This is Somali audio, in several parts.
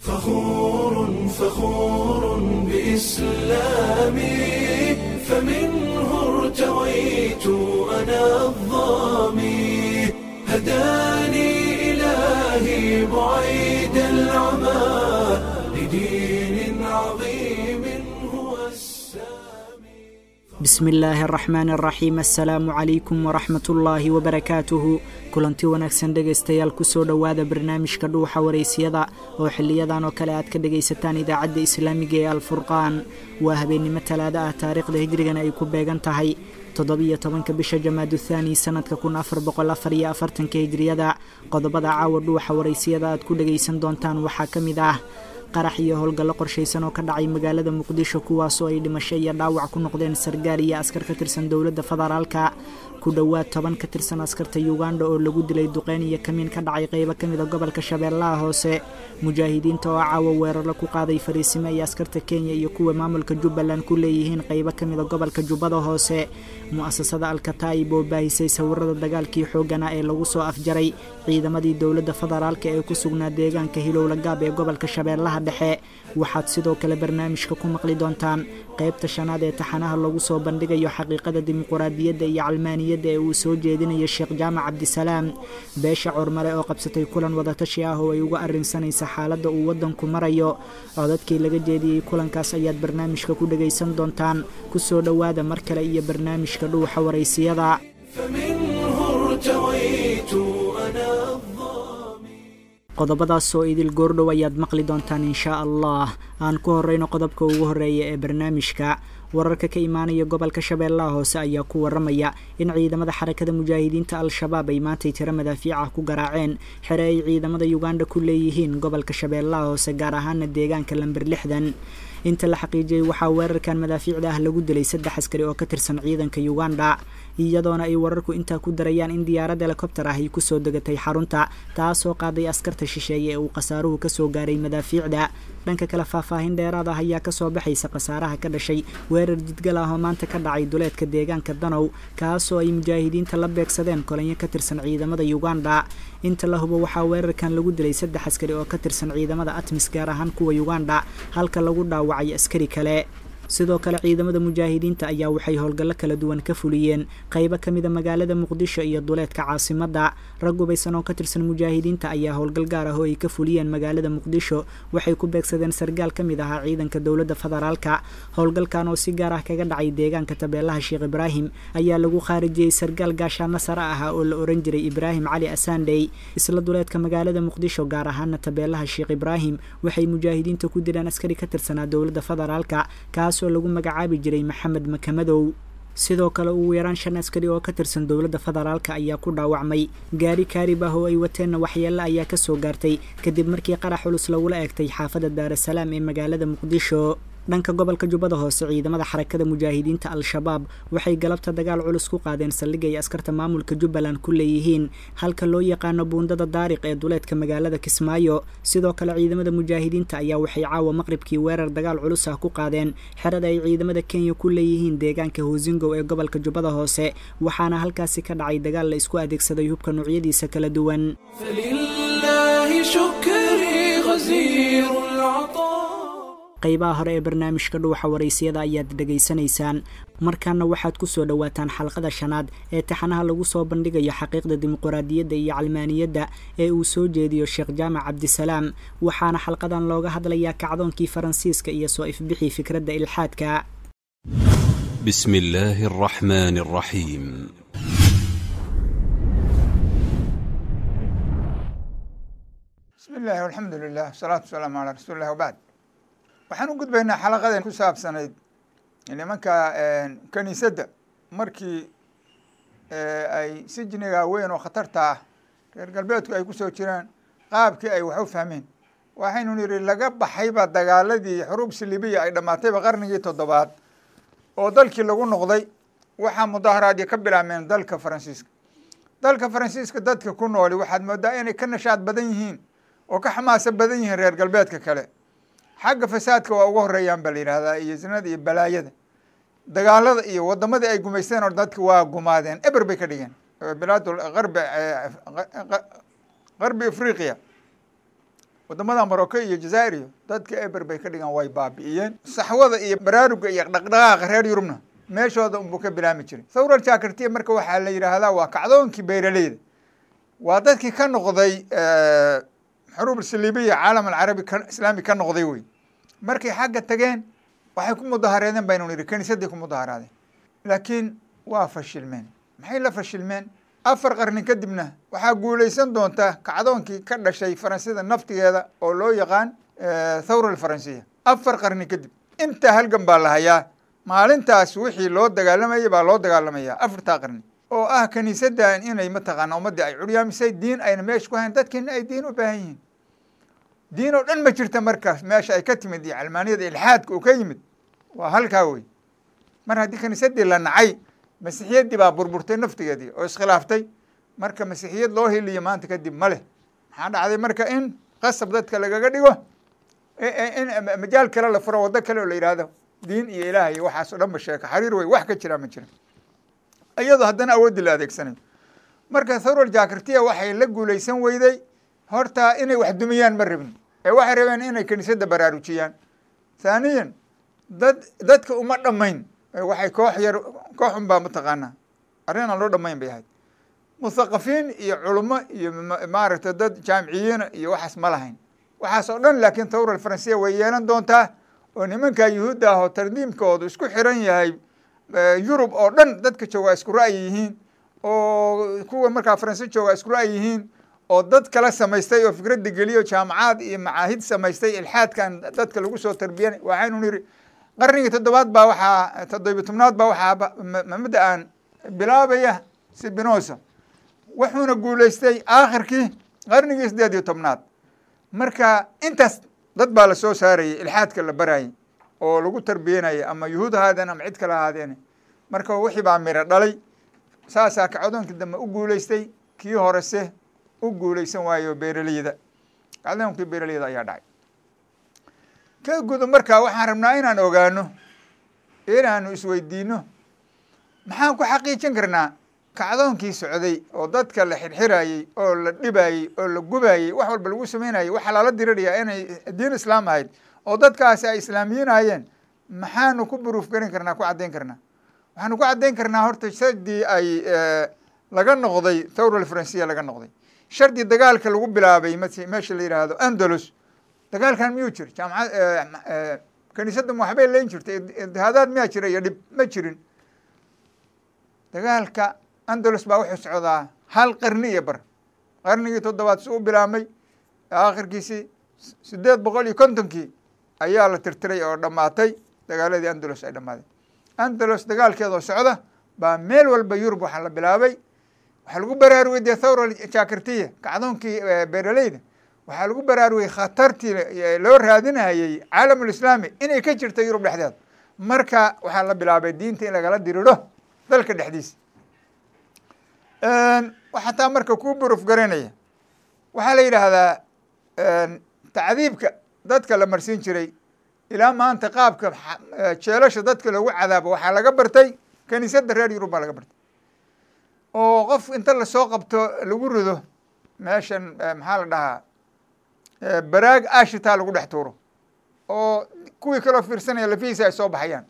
فخور فخور بإسلامي، فمنه ارتويت أنا الظامي، هداني إلهي بعيد العمى لدين عظيم هو السامي. Bismi illaahi araxmaan araxiim. Assalaamu calaykum waraxmatullaahi wabarakaatuhu. Kulanti wanaagsan dhegaystayaal, kusoo dhowaada barnaamijka Dhuuxa Wareysiyada oo xiliyadan oo kale aad ka dhegaysataan idaacadda islaamiga ee Alfurqaan. Waa habeennimo Talaado ah, taariikhda hijrigana ay ku beegan tahay 17-ka bisha Jamaadu Thaani, sanadka 1444-ka hijriyada. Qodobada caawa Dhuuxa Wareysiyada aad ku dhegaysan doontaan waxaa ka mid ah qarax iyo howlgallo qorshaysan oo ka dhacay magaalada Muqdisho, kuwaasoo ay dhimasho iyo dhaawac ku noqdeen sargaal iyo askar ka tirsan dowladda federaalka, ku dhowaad 10 ka tirsan askarta Yuganda oo lagu dilay duqeyn iyo kamiin ka dhacay qeybo ka mid a gobolka Shabeellaha Hoose, mujaahidiinta oo caawa weeraro ku qaaday fariisimo ay askarta Kenya iyo kuwa maamulka Jubbaland ku leeyihiin qeybo ka mid a gobolka Jubbada Hoose, mu'asasada Alkataa'ib oo baahisay sawirada dagaalkii xoogganaa ee lagu soo afjaray ciidamadii dowladda federaalka ee ku sugnaa deegaanka Hilowla Gaab ee gobolka Shabeellaha Dhexe. Waxaad sidoo kale barnaamijka ku maqli doontaan qaybta shanaad ee taxanaha lagu soo bandhigayo xaqiiqada dimuquraadiyadda iyo calmaaniyadda ee uu soo jeedinayo Sheekh Jaamac Cabdisalaam, beesha Cormare oo qabsatay kulan wadatashi ah oo ay uga arrinsanaysa xaaladda uu waddanku marayo. Codadkii laga jeediyey kulankaas ayaad barnaamijka ku dhegaysan doontaan. Kusoo dhowaada mar kale iyo barnaamijka Dhuuxa Waraysiyada. فمنه ارتويت أنا الظامي. Qodobadaas oo idil goordhow ayaad maqli doontaan inshaa Allah. Aan ku horeyno qodobka ugu horeeya ee barnaamijka. Wararka ka imaanaya gobolka Shabeellaha Hoose ayaa ku waramaya in ciidamada Xarakada Mujaahidiinta Al-Shabaab ay maantay tiro madaafiic ah ku garaaceen xere ay ciidamada Yuganda ku leeyihiin gobolka Shabeellaha Hoose, gaar ahaana deegaanka lamber 60. Inta la xaqiijiyey, waxaa weerarkan madaafiicda ah lagu dilay 3 askari oo ka tirsan ciidanka Uganda, iyadoona ay wararku intaa ku darayaan in diyaarad helikobter ah ay kusoo degatay xarunta, taasoo qaaday askarta shisheeye ee uu khasaaruhu kasoo gaaray madaafiicda. Dhanka kale, faahfaahin dheeraad ah ayaa kasoo baxaysa khasaaraha ka dhashay weerar jidgal ah oo maanta ka dhacay duleedka deegaanka Danow, kaasoo ay mujaahidiinta la beegsadeen kolanyo ka tirsan ciidamada Uganda. Inta la hubo, waxaa weerarkan lagu dilay 3 askari oo ka tirsan ciidamada ATMIS, gaar ahaan kuwa Uganda, halka lagu dhaawacay askari kale. Sidoo kale, ciidamada mujaahidiinta ayaa waxay howlgallo kala duwan ka fuliyeen qaybo ka mida magaalada Muqdisho iyo duleedka caasimadda. Rag hubaysan oo ka tirsan mujaahidiinta ayaa howlgal gaar ah oo ay ka fuliyeen magaalada Muqdisho waxay ku beegsadeen sargaal ka mid ahaa ciidanka dowladda federaalka. Howlgalkan oo si gaar ah kaga dhacay deegaanka Tabeelaha Sheekh Ibraahim ayaa lagu khaarijiyey sargaal gaashaano sare ahaa oo la oran jiray Ibraahim Cali Asandey. Isla duleedka magaalada Muqdisho, gaar ahaana Tabeelaha Sheekh Ibraahim, waxay mujaahidiinta ku dileen askari ka tirsanaa dowladda federaalka, kaasoo lagu magacaabi jiray Maxamed Makamadow. Sidoo kale, ugu yaraan 5 askari oo ka tirsan dowladda federaalka ayaa ku dhaawacmay, gaari kaarib ah oo ay wateenna waxyeello ayaa kasoo gaartay kadib markii qarax culus lagula eegtay xaafadda Daarasalaam ee magaalada Muqdisho. Dhanka gobolka Jubbada Hoose, ciidamada Xarakada Mujaahidiinta Al-Shabaab waxay galabta dagaal culus ku qaadeen saldhig ay askarta maamulka Jubbaland ku leeyihiin halka loo yaqaano buundada Daariq ee duleedka magaalada Kismaayo. Sidoo kale, ciidamada mujaahidiinta ayaa waxay caawa maqribkii weerar dagaal culus ah ku qaadeen xerada ay ciidamada Kenya ku leeyihiin deegaanka Hoosingow ee gobolka Jubbada Hoose, waxaana halkaasi ka dhacay dagaal la isku adeegsaday hubka noocyadiisa kala duwan. فلله شكري غزير العطاء. Qaybaha hore ee barnaamijka Dhuuxa Waraysiyada ayaad dhegaysanaysaan. Markaana waxaad ku soo dhowaataan xalqada shanaad ee taxanaha lagu soo bandhigayo xaqiiqda dimuquraadiyadda iyo calmaaniyadda ee uu soo jeediyo Sheekh Jaamac Cabdisalaam, waxaana xalqadan looga hadlayaa kacdoonkii Faransiiska iyo soo ifbixii fikradda ilxaadka. بسم الله الرحمن الرحيم. Bismi illahi alxamdu lilah, wasalaatu wasalaamu calaa rasuuli llah, wabacd. Waxaan u gudbaynaa xalaqadan ku saabsanayd nimanka kaniisadda markii ay sijniga weyn oo khatarta ah reer galbeedku ay kusoo jiraan, qaabkii ay wax u fahmeen. Waxaynu nidhi laga baxayba dagaaladii xuruub silibiya ay dhammaatayba qarnigii toddobaad oo dalkii lagu noqday. Waxaa mudaaharaadyo ka bilaabmeen dalka Faransiiska. Dalka Faransiiska dadka ku nooli waxaad moodaa inay ka nashaad badan yihiin oo ka xamaaso badan yihiin reer galbeedka kale. Xagga fasaadka waa uga horeeyaan ba la yidhahdaa, iyo zinada iyo balaayada, dagaalada iyo wadamadii ay gumaysteen oo dadka waa gumaadeen, eber bay ka dhigeen bilaad qarbi, Qarbi Afriqiya. Wadamada Morocco iyo Jazaa'ir iyo dadka eber bay ka dhigaan, way baabi'iyeen. Saxwada iyo baraaruga iyo dhaqdhaqaaqa reer Yurubna meeshooda unbuu ka bilaami jiray. Thawra Jaakartiya marka waxaa la yidhaahdaa waa kacdoonkii beeraleyda, waa dadkii ka noqday xuruub saliibiya, caalam alcarabi islaami ka noqday wey. Markay xagga tageen waxay ku mudaharaadeen baynu nidhi, kiniisadii ku mudaharaadeen, laakiin waa fashilmeen. Maxay la fashilmeen? 4 qarni kadibna waxaa guuleysan doonta kacdoonkii ka dhashay Faransida naftigeeda oo loo yaqaan Thawra Alfaransiya. 4 qarni kadib intaa halgan baa la hayaa. Maalintaas wixii loo dagaalamayay baa loo dagaalamaya 4taa qarni, oo ah kiniisadan inay mataqaana ummaddii ay curyaamisay, diin ayna meesha ku hayn, dadkiina ay diin u baahan yihiin. Diin oo dhan ma jirta markaas meesha ay ka timid iyo calmaaniyada ilxaadka uu ka yimid waa halkaa wey. Mar haddii kiniisadii la nacay, masiixiyaddii baa burburtay naftigeedii oo iskhilaaftay. Marka masiixiyad loo heliyo maanta kadib ma leh. Maxaa dhacday marka? In qasab dadka lagaga dhigo in majaal kale la furo, waddo kale oo la yidhaahdo diin iyo ilaah iyo waxaas oo dhan ba sheeka xariir wey, wax ka jiraa ma jira, iyadoo haddana awooddii la adeegsanayo. Marka Thawra Jaakartiya waxay la guuleysan weyday horta inay wax dumiyaan ma rabin, ee waxay rabeen inay kiniisadda baraarujiyaan. Thaaniyan, dadka uma dhammayn, waxay koox yar, koox un baa mataqaanaa arrin aan loo dhammayn bay ahayd. Muthaqafiin iyo culummo iyo maaragtay dad jaamiciyiina iyo waxaas ma lahayn waxaas oo dhan. Laakiin Thawra Alfaransiya way yeelan doontaa, oo nimanka Yuhuudda ah oo tardiimkoodu isku xiran yahay Yurub oo dhan dadka jooga isku ra'yi yihiin, oo kuwa markaa Faransi jooga isku ra'yi yihiin, oo dad kala samaystay oo fikradda geliyo, jaamacaad iyo macaahid samaystay ilxaadkan dadka lagu soo tarbiyanay. Waxaynu niri qarnigii 7aad baa waxaa, 17aad baa waxaa mabda aan bilaabaya Sibinosa, wuxuuna guuleystay aakhirkii qarnigii 18aad. Marka intaas dad baa lasoo saarayay ilxaadka la barayay oo lagu tarbiyanayay, ama Yuhuud ahaadeen ama cid kale ahaadeen. Marka wixii baa miro dhalay, saasaa kacdoonkii dambe u guuleystay, kii horese u guuleysan waayo beeraleyda. Kacdoonkii beeraleyda ayaa dhacay ka gudo. Marka waxaan rabnaa inaan ogaano, inaanu isweydiino, maxaan ku xaqiijin karnaa kacdoonkii socday oo dadka la xirxirayey oo la dhibayey oo la gubayey, wax walba lagu sameynayey, waxaa lala dirirayaa inay diin islaam ahayd oo dadkaasi ay islaamiyiin ahayeen? Maxaanu ku buruuf garin karnaa, ku caddayn karnaa? Waxaanu ku caddayn karnaa horta shardii ay laga noqday Thawra Alfaransiya laga noqday, shardi dagaalka lagu bilaabay meesha la yidhaahdo Andalus. Dagaalkan miyuu jir? Jaamacad kiniisadda ma waxbay leyn jirtay? Idtihaadaad miyaa jira iyo dhib? Ma jirin. Dagaalka Andalus baa wuxuu socdaa hal qarni iyo bar, qarnigii 7aad si u bilaabmay, aakhirkiisii 850kii ayaa la tirtiray oo dhammaatay dagaaladii Andalus ay dhamaaday. Andalus dagaalkeedoo socda baa meel walba Yurub waxaa la bilaabay, waxaa lagu baraarugay dee Thawra Jaakartiya, kacdoonkii beeraleyda. Waxaa lagu baraarugay khatartii loo raadinayey caalamulislaami inay ka jirta Yurub dhexdeeda. Marka waxaa la bilaabay diinta in lagala diriro dalka dhexdiisa. Waxaa taa marka kuu buruf garanaya, waxaa la yidhaahdaa tacdiibka dadka la marsiin jiray ilaa maanta, qaabka jeelasha dadka loogu cadaabo waxaa laga bartay kiniisadda reer Yurub baa laga bartay, oo qof inta lasoo qabto lagu rido meeshan, maxaa la dhahaa, baraag ashitaa lagu dhex tuuro, oo kuwii kaloo fiirsanaya lafihiisa ay soo baxayaan,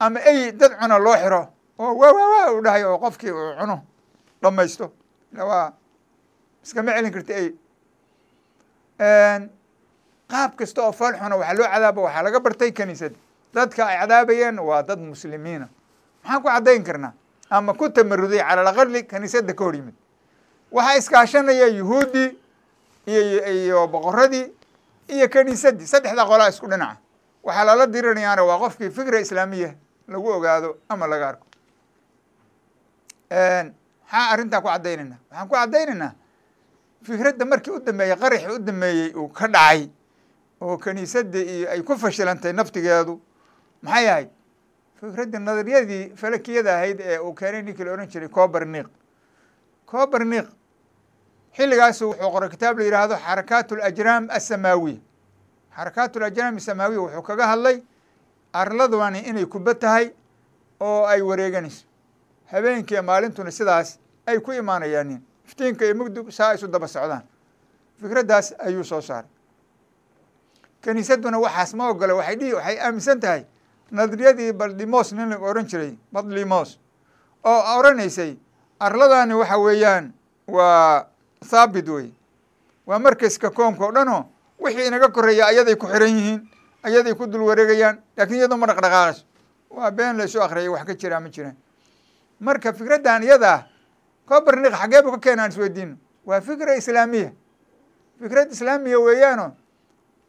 ama ey dad cuna loo xiro oo waa waa waa u dhahay oo qofkii uu cuno dhamaysto. Waa iskama celin karta ey. Qaab kasta oo fool xuna waxaa loo cadaabo waxaa laga bartay kiniisadda. Dadka ay cadaabayeen waa dad muslimiina. Maxaan ku caddayn karnaa? Ama ku tamaruday cala alaqali kiniisadda ka hor yimid. Waxaa iskaashanaya Yuhuuddii iyo boqoradii iyo kiniisaddii, saddexda qolaa isku dhinaca. Waxaa lala dirinayaana waa qofkii fikra islaamiya lagu ogaado ama laga arko. Maxaa arrintaa ku caddaynayna? Waxaan ku caddaynaynaa fikradda markii u dambeeyey, qaraxii u dambeeyey uu ka dhacay oo kiniisadda iyo ay ku fashilantay naftigeedu, maxay ahayd? Fikradda nadariyadii falakiyada ahayd ee uu keenay ninkii la ohan jiray Copernic. Copernic xilligaasu wuxuu qoray kitaab la yidhaahdo Xarakaat Alajraam Assamaawiya. Xarakaat Alajraam Asamaawiya wuxuu kaga hadlay arladani inay kuba tahay oo ay wareeganayso, habeenkiiyo maalintuna sidaas ay ku imaanayaanin, iftiinka iyo mugdug saa isu daba socdaan. Fikraddaas ayuu soo saaray. Kaniisaduna waxaas ma ogola. Waxay dhihi, waxay aaminsan tahay nadariyadii Baldimos nin la oran jiray, Badlimos, oo oranaysay arladani waxa weeyaan waa thaabit wey, waa markaska koonka o dhan oo wixii inaga koreeya ayaday ku xiran yihiin, ayaday ku dul wareegayaan, laakiin iyadoo ma dhaqdhaqaaqayso. Waa been la isu akriyay, wax ka jiraa ma jiraan. Marka fikraddan iyada ah Copernic xagee bu ka keena aan isweydiino. Waa fikra islaamiya, fikrad islaamiya weeyaano.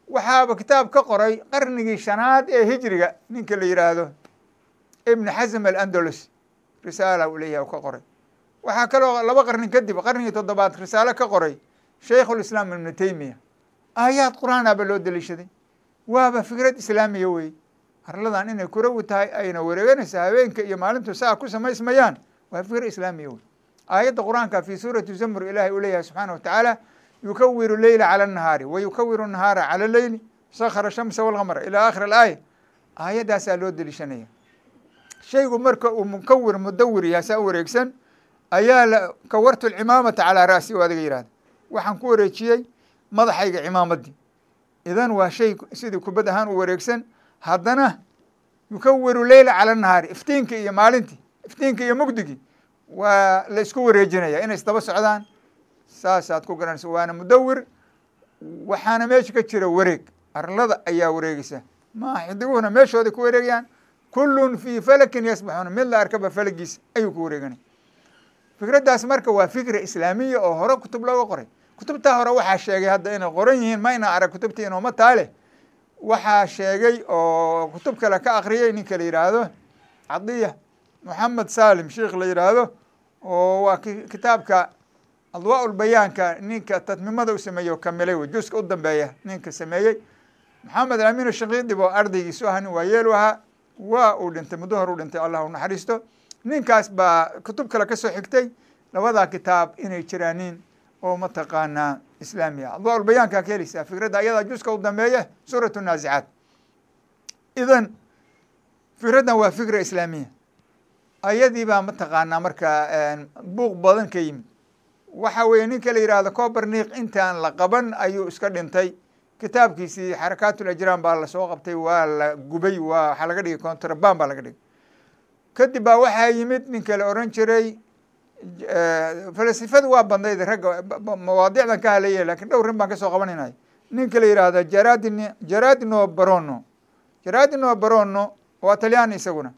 Waxaaba kitaab ka qoray qarnigii 5aad ee hijriga ninka la yidhaahdo Ibn Xasm Alandalus, risaala uu leeyahay u ka qoray. Waxaa kaloo 2 qarni kadib, qarnigii 7aad, risaalo ka qoray Shaykhulislaam Ibnu Taymiya. Aayaad qur-aanaba loo daliishaday. Waaba fikrad islaamiya wey, arladan inay kurawi tahay ayna wareeganaysa, habeenka iyo maalintu saa ku samaysmayaan, waa fikra islaamiya wey. Aayadda qur-aanka fi suurati Zamr ilahay uu leeyahay subxaana watacaala: yukawiru leyla cala annahaari wa yukawiru nahaara cala leyli, sakhara shamsa walqamara, ila aakhir alaaya. Aayaddaasaa loo deliishanaya. Shaygu marka uu mukawir mudawir yahay, saa u wareegsan, ayaa la kawartu alcimaamata calaa ra'si o adiga yihahda, waxaan ku wareejiyey madaxayga cimaamaddii. Idan waa shay sidii kubad ahaan u wareegsan. Haddana yukawiru leyla cala nahaari, iftiinka iyo maalintii, iftiinka iyo mugdigii waa la isku wareejinaya inay isdaba socdaan, saasaad ku garanaysa. Waana mudawir, waxaana meesha ka jira wareeg, arlada ayaa wareegeysa, ma xidiguhuna meeshooday ku wareegayaan. Kullun fii falakin yasbaxuuna, mid la arkaba falagiisa ayuu ku wareeganaya. Fikraddaas marka waa fikra islaamiya oo hore kutub looga qoray. Kutubtaa hore waxaa sheegay hadda inay qoran yihiin mayna arag, kutubtii inooma taale. Waxaa sheegay oo kutub kale ka akriyay ninka la yidhaahdo Cadiya Moxamed Salim, sheikh la yidhaahdo, oo waa kitaabka Adwaa Ulbayaanka ninka tatmimada u sameeyey oo kamilay wey, juska u dambeeya ninka sameeyey, Maxamed Amiin Shakiidib, oo ardaygiisu ahaa, nin waayeelu ahaa, waa uu dhintay muddo hor u dhintay, Allah u naxariisto. Ninkaas baa kutub kale kasoo xigtay labadaa kitaab inay jiraaniin oo mataqaanaa islaamiya. Adwaa Ulbayaankaa ka heleysaa fikradda ayadaa, juska u dambeeya suurat Naazicaat. Idan fikraddan waa fikra islaamiya, ayadii baa mataqaanaa marka buuq badan ka yimid. Waxa weeye ninka la yidhaahdo Copernic intaan la qaban ayuu iska dhintay. Kitaabkiisii Xarakaat Ulajraan baa lasoo qabtay, waa la gubay, waa waxaa laga dhigay contraband baa laga dhigay. Kadib baa waxaa yimid ninka la oran jiray, falasifadu waa bandayd ragga mawaadiicdan ka hadlaya, lakin dhowr rin baan kasoo qabanayna. Ninka la yidhaahdo Jaradin, Jaradino Barono, Jaradino Barono waa Talyaani, isaguna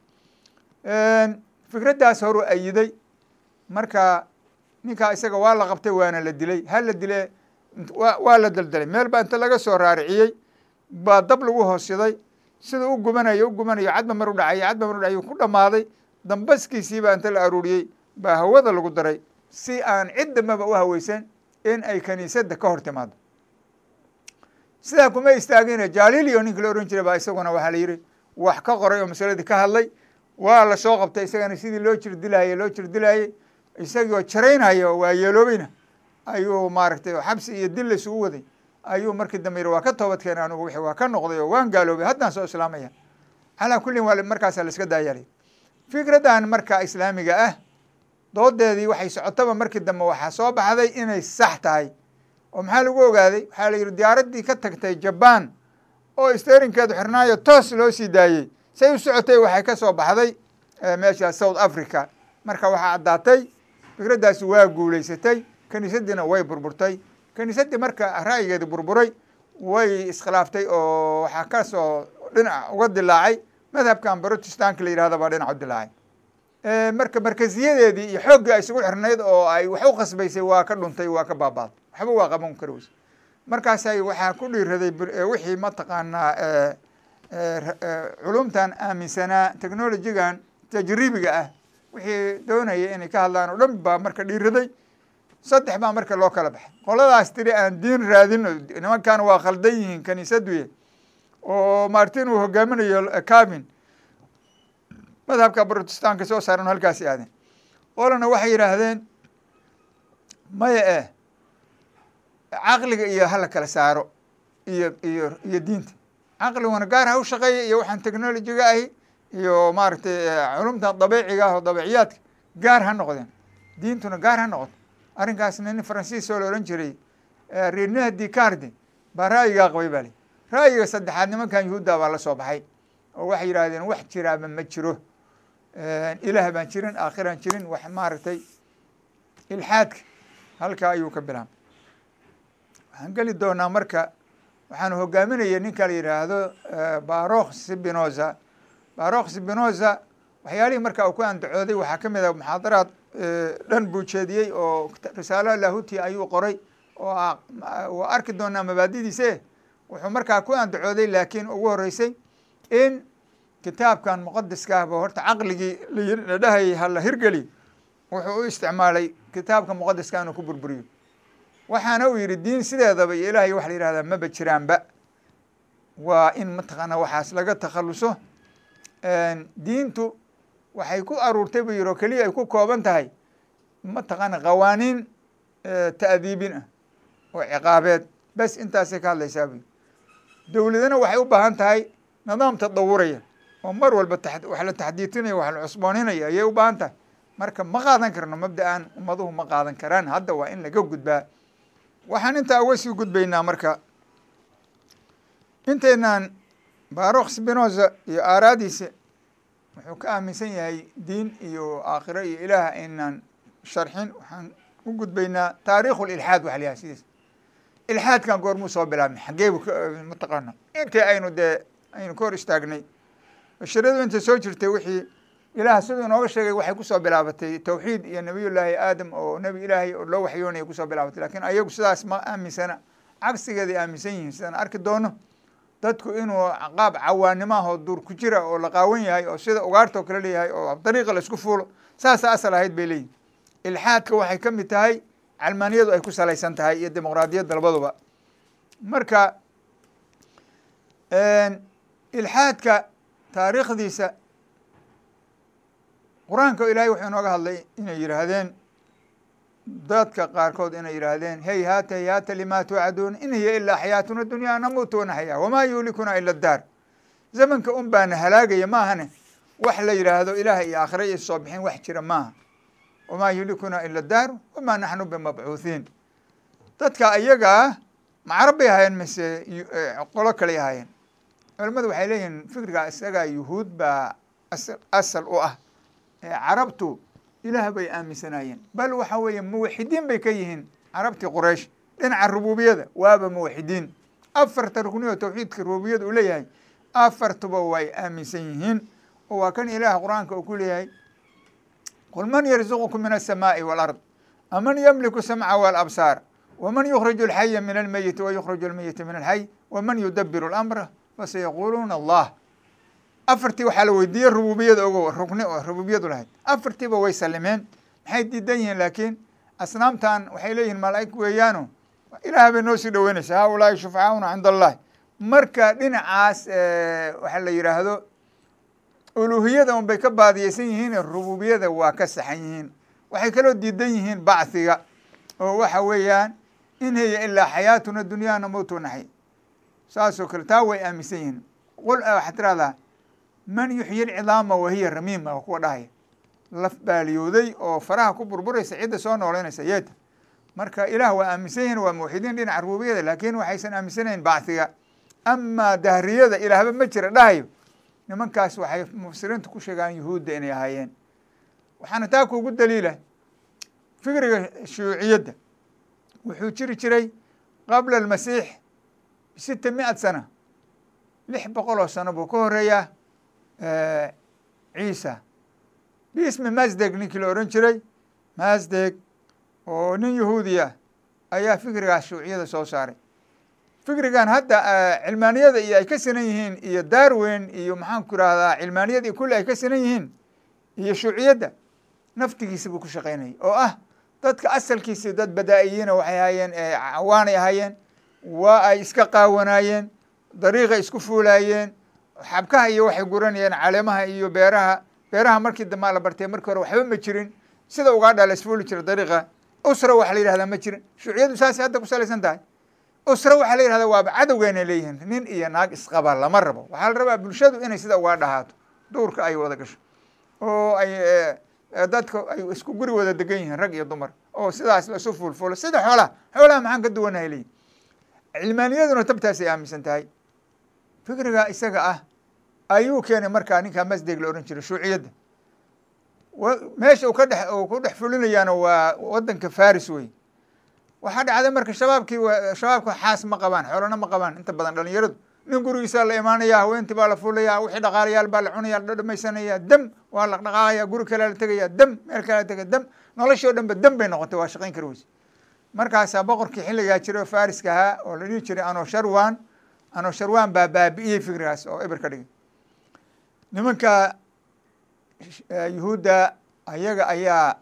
fikraddaas horu ayiday. Marka ninkaa isaga waa la qabtay, waana la dilay. Ha la dile, waa la deldelay, meel baa inta laga soo raariciyey baa dab lagu hoosiday. Sida u gubanayo u gubanayo, cadba mar u dhacay, cadba mar u dhacay, ku dhamaaday. Dambaskiisii baa inta la aruuriyey baa hawada lagu daray, si aan cid dambaba u haweysan in ay kaniisadda ka hor timaado. Sidaa kuma istaagine, Jalilio ninka la oran jiray baa isaguna waxaa la yihi wax ka qoray oo masaladii ka hadlay. Waa lasoo qabtay isagana, sidii loo jir dilaayey loo jir dilaayey, isagoo jaraynaya waa yeeloobayna ayuu maaragtay xabsi iyo dil la isugu waday. Ayuu markii dambe yiri: waa ka toobad keenay anigu, wixii waa ka noqday oo waan gaaloobay, haddaan soo islaamaya. Calaa kullin waa markaasaa la iska daayalay. Fikraddan marka islaamiga ah doodeedii waxay socotaba, markii dambe waxaa soo baxday inay sax tahay. Oo maxaa lagu ogaaday? Waxaa la yihi diyaaraddii ka tagtay Jaban oo sterinkeedu xirnaayo toos loo sii daayey, say u socotay waxay ka soo baxday meesha South Africa. Marka waxaa caddaatay fikraddaasi waa guulaysatay, kaniisadiina way burburtay. Kaniisaddii marka ra'yigeedi burburay way iskhilaaftay, oo waxaa kasoo dhinac uga dilaacay madhabkan Protestanka la yihahda baa dhinac u dilaacay. Marka markaziyadeedii iyo xooggii ay isugu xirnayd oo ay wax u khasbaysay waa ka dhuntay, waa ka baabaaday, waxba waa qaban kari weyse. Markaasay waxaa ku dhiiraday wixii mataqaanaa culumtan aaminsanaa, technologygan tajribiga ah wixii doonaya inay ka hadlaan oo dhan baa marka dhiiraday. Saddex baa marka loo kala baxay. Qoladaas tiri aan diin raadino, nimankan waa khaldan yihiin kaniisaduye, oo Martin uu hogaaminayo Cabin, madhabka Protestanka soo saaran, halkaasi aadeen. Qolana waxay yidhaahdeen maya, caqliga iyo hala kala saaro iyo diinta, caqliguna gaar ha u shaqeeya, iyo waxaan technologyga ahi iyo maaragtay culumtan dabiiciga ah oo dabiiciyaadka gaar ha noqdeen, diintuna gaar ha noqoto. Arrinkaasna nin Faransiis oo la ohan jiray Rene Descartes baa ra'yigaa qabay ba li. Ra'yiga saddexaad nimankan yuhuudda baa la soo baxay oo waxay yidhaahdeen wax jiraaba ma jiro, ilaah baan jirin, aakhiraan jirin, wax maaragtay ilxaadka halkaa ayuu ka bilaabay. Waxaan geli doonaa marka, waxaanu hogaaminaya ninka la yidhaahdo Barokh Spinoza. Barokh Spinoza waxyaalihii marka uu ku andacooday waxaa ka mid ah muxaadaraad dhan buu jeediyey oo risaalo lahuti ayuu qoray oo waa arki doonaa mabaadidiise. Wuxuu markaa ku andacooday laakiin ugu horeysay in kitaabkan muqadiska ahba horta caqligii la dhahayay hala hirgeli, wuxuu u isticmaalay kitaabka muqadiska inuu ku burburiyo. Waxaana uu yidhi diin sideedaba iyo ilaahay waxa la yihahdaa maba jiraanba, waa in mataqaana waxaas laga takhaluso. Diintu waxay ku aruurtay buu yidhi oo keliya ay ku kooban tahay mataqaana qawaaniin ta'diibin ah oo ciqaabeed, bes intaasay ka hadlaysaa buu yidhi. Dowladana waxay u baahan tahay nidaam tadawuraya oo mar walba wax la taxdiidinaya, wax la cusbooninaya ayay u baahan tahay. Marka ma qaadan karno mabda'an, ummaduhu ma qaadan karaan, hadda waa in laga gudbaa. Waxaan intaa uga sii gudbaynaa marka intaynaan Barokh Spinoza iyo aaraadiisa wuxuu ka aaminsan yahay diin iyo aakhiro iyo ilaah aynaan sharxin, waxaan u gudbaynaa taariikhu lilxaad. Waxa la yahay sidiis ilxaadkan goormuu soo bilaabmay, xaggee buu mataqaana intii aynu dee aynu ka hor istaagnay bashariyadu intay soo jirtay wixii ilaah siduu inooga sheegay waxay kusoo bilaabatay tawxiid iyo nabiyullaahi aadam oo nebi ilaahay oo loo waxyoonaya kusoo bilaabatay. Laakiin ayagu sidaas ma aaminsana, cagsigeeday aaminsan yihiin sidaan arki doono. Dadku inuu qaab cawaanimo ah oo duur ku jira oo la qaawan yahay oo sida ugaarta oo kale leeyahay oo dariiqa la isku fuulo, saasa asal ahayd bay leeyihin. Ilxaadka waxay ka mid tahay calmaaniyadu ay ku salaysan tahay iyo dimuqraadiyadda labaduba. Marka ilxaadka taariikhdiisa qur-aanka ilaahay wuxuu inooga hadlay inay yidhaahdeen dadka qaarkood, inay yidhaahdeen hayhaata hayhaata limaa tuucaduun in hiya ilaa xayaatuna dunyaa namuutu wanaxyaa wamaa yuhlikuna ila daar. Zamanka un baana halaagaya maahane wax la yidhaahdo ilaah iyo aakhira iyo soo bixin wax jira maaha. Wamaa yuhlikuna ila daar wamaa naxnu bimabcuuthiin. Dadka iyagaa ma carab bay ahaayeen mise qolo kaley ahaayeen? Culamadu waxay leeyihiin fikriga isagaa yuhuud baa asal u ah. Carabtu ilaah bay aaminsanaayeen, bal waxa weeye muwaxidiin bay ka yihiin carabtii Quraysh dhinaca rububiyada, waaba muwaxidiin. Afarta rukni oo tawxiidka rububiyada uu leeyahay afartuba way aaminsan yihiin, oo waa kan ilaah qur-aanka uu ku leeyahay qul man yarzuqukum min aلsamaaءi wاlard aman yamliku samca wاlabsaar waman yukhriju alxaya min almeyiti wayukhriju almeyita min alxay waman yudabiru اlamra fasayaquuluuna allah. Afartii waxaa la weydiiyey rububiyada ogo rukni oo rububiyadu lahayd, afartiiba way salimeen. Maxay diidan yihiin? Laakiin asnaamtan waxay leeyihiin malaa'ig weeyaano ilaah bay noo sii dhoweynaysaa, haulaai shufcauna cinda allahi. Marka dhinacaas waxaa la yidhaahdo uluhiyada un bay ka baadiyeysan yihiin, rububiyada waa ka saxan yihiin. Waxay kaloo diidan yihiin bacthiga oo waxa weeyaan in hiya ilaa xayaatuna dunyaa namuutu naxy, saasoo kale taa way aaminsan yihiin. Qul waxaad tirahdaa man yuxyi alcidaama wahiya ramiima, waa kuwa dhahaya laf baaliyooday oo faraha ku burburaysa cidda soo nooleynaysa yeeta. Marka ilaah waa aaminsan yihiin, waa muwaxidiin dhinaca rububiyada, laakiin waxaysan aaminsanayn bacthiga. Amaa dahriyada ilaahba ma jira dhahayo nimankaas waxay mufasiriintu ku sheegaan yuhuudda inay ahaayeen. Waxaana taa kuugu daliila fikriga shuuciyadda wuxuu jiri jiray qabla almasiix 600 sana, 600 oo sano buu ka horeeyaa Ciisa. Biismi Masdeg ninkii la ohan jiray Masdeg oo nin yahuudiya ayaa fikrigaas shuuciyada soo saaray. Fikrigan hadda cilmaaniyada iyo ay ka sinan yihiin iyo Darwin iyo maxaan ku irahdaa cilmaaniyada iyo kulli ay ka sinan yihiin iyo shuuciyadda naftigiisa buu ku shaqaynayay, oo ah dadka asalkiisa dad badaa-iyiina waxay ahaayeen, cawaanay ahaayeen, waa ay iska qaawanaayeen, dariiqay isku fuulaayeen, xabkaha iyo waxay guranayeen caleemaha iyo beeraha. Beeraha markii dambaa la bartay, markii hore waxba ma jirin, sida ugaadha la isfuuli jira dariiqa. Usra waxa la yihahdaa ma jirin. Shuuciyadu saasay hadda ku salaysan tahay. Usra waxaa la yihahdaa waaba cadowgeena leeyihiin, nin iyo naag isqaba lama rabo. Waxaa la rabaa bulshadu inay sida ugaadha ahaato, duurka ay wada gasho oo ay dadka ay isku guri wada degan yihiin rag iyo dumar, oo sidaas la isu fuulfuulo sida xoolaha. Xoolaha maxaan ka duwanahay leeyihin. Cilmaaniyaduna tabtaasay aaminsan tahay. Fikriga isaga ah ayuu keenay markaa ninkaa Masdeg la ohan jiray, shuuciyadda meesha uu ka dhex uu ku dhex fulinayaana waa wadanka Faris wey. Waxaa dhacday marka shabaabkii, shabaabka xaas ma qabaan, xoolana ma qabaan inta badan dhalinyaradu. Nin gurigiisaa la imaanaya, haweentii baa la fuulaya, wixii dhaqaalayaal baa la cunaya, la dhamaysanaya, dam waa la dhaqaaqaya, guri kalea la tegaya, dam meel kalea la tegaya, dam noloshii o dhan ba dam bay noqotay, waa shaqayn kari weyse. Markaasaa boqorkii xilligaa jiray oo Fariska ahaa oo la dhihi jiray Anosharwan, Anosharwan baa baabi'iyey fikrigaas oo eber ka dhigay. Nimanka Yuhuudda ayaga ayaa